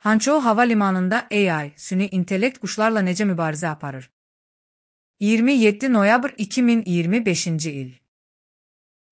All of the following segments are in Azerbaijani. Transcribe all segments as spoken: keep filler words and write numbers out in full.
Hançou hava limanında A I, süni intellekt quşlarla necə mübarizə aparır? iyirmi yeddi noyabr iki min iyirmi beşinci il.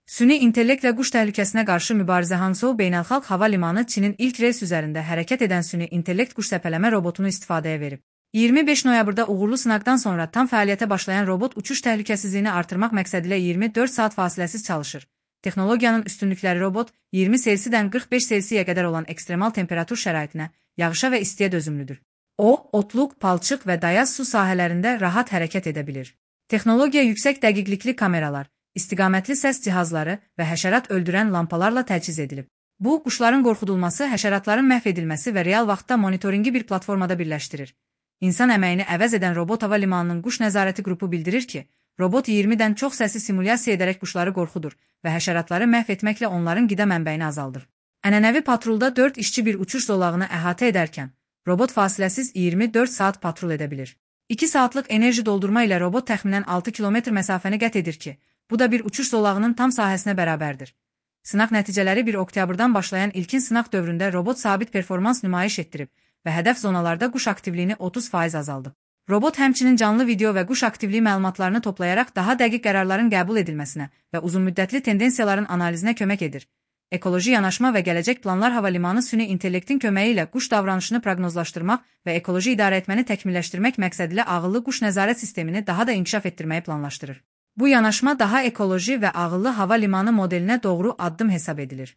Süni intellektlə quş təhlükəsinə qarşı mübarizə Hançou Beynəlxalq Hava Limanı Çinin ilk reys üzərində hərəkət edən süni intellekt quş səpələmə robotunu istifadəyə verib. iyirmi beş noyabrda uğurlu sınaqdan sonra tam fəaliyyətə başlayan robot uçuş təhlükəsizliyini artırmaq məqsədilə iyirmi dörd saat fasiləsiz çalışır. Texnologiyanın üstünlükləri robot iyirmi selsidən qırx beş selsiyə qədər olan ekstremal temperatur şəraitinə, yağışa və istiyə dözümlüdür. O, otluq, palçıq və dayaz su sahələrində rahat hərəkət edə bilir. Texnologiya yüksək dəqiqlikli kameralar, istiqamətli səs cihazları və həşərat öldürən lampalarla təchiz edilib. Bu, quşların qorxudulması, həşəratların məhv edilməsi və real vaxtda monitoringi bir platformada birləşdirir. İnsan əməyini əvəz edən Robot Hava Limanının quş nəzarəti qrupu bildirir ki, robot iyirmidən çox səsi simulyasiya edərək quşları qorxudur və həşəratları məhv etməklə onların qida mənbəyini azaldır. Ənənəvi patrulda dörd işçi bir uçuş zolağını əhatə edərkən, robot fasiləsiz iyirmi dörd saat patrul edə bilir. iki saatlıq enerji doldurma ilə robot təxminən altı kilometr məsafəni qət edir ki, bu da bir uçuş zolağının tam sahəsinə bərabərdir. Sınaq nəticələri bir oktyabrdan başlayan ilkin sınaq dövründə robot sabit performans nümayiş etdirib və hədəf zonalarda quş aktivliyini otuz faiz azaldıb. Robot həmçinin canlı video və quş aktivliyi məlumatlarını toplayaraq daha dəqiq qərarların qəbul edilməsinə və uzunmüddətli tendensiyaların analizinə kömək edir. Ekoloji yanaşma və gələcək planlar hava limanı süni intellektin köməyi ilə quş davranışını proqnozlaşdırmaq və ekoloji idarəetməni təkmilləşdirmək məqsədilə ağıllı quş nəzarət sistemini daha da inkişaf etdirməyi planlaşdırır. Bu yanaşma daha ekoloji və ağıllı hava limanı modelinə doğru addım hesab edilir.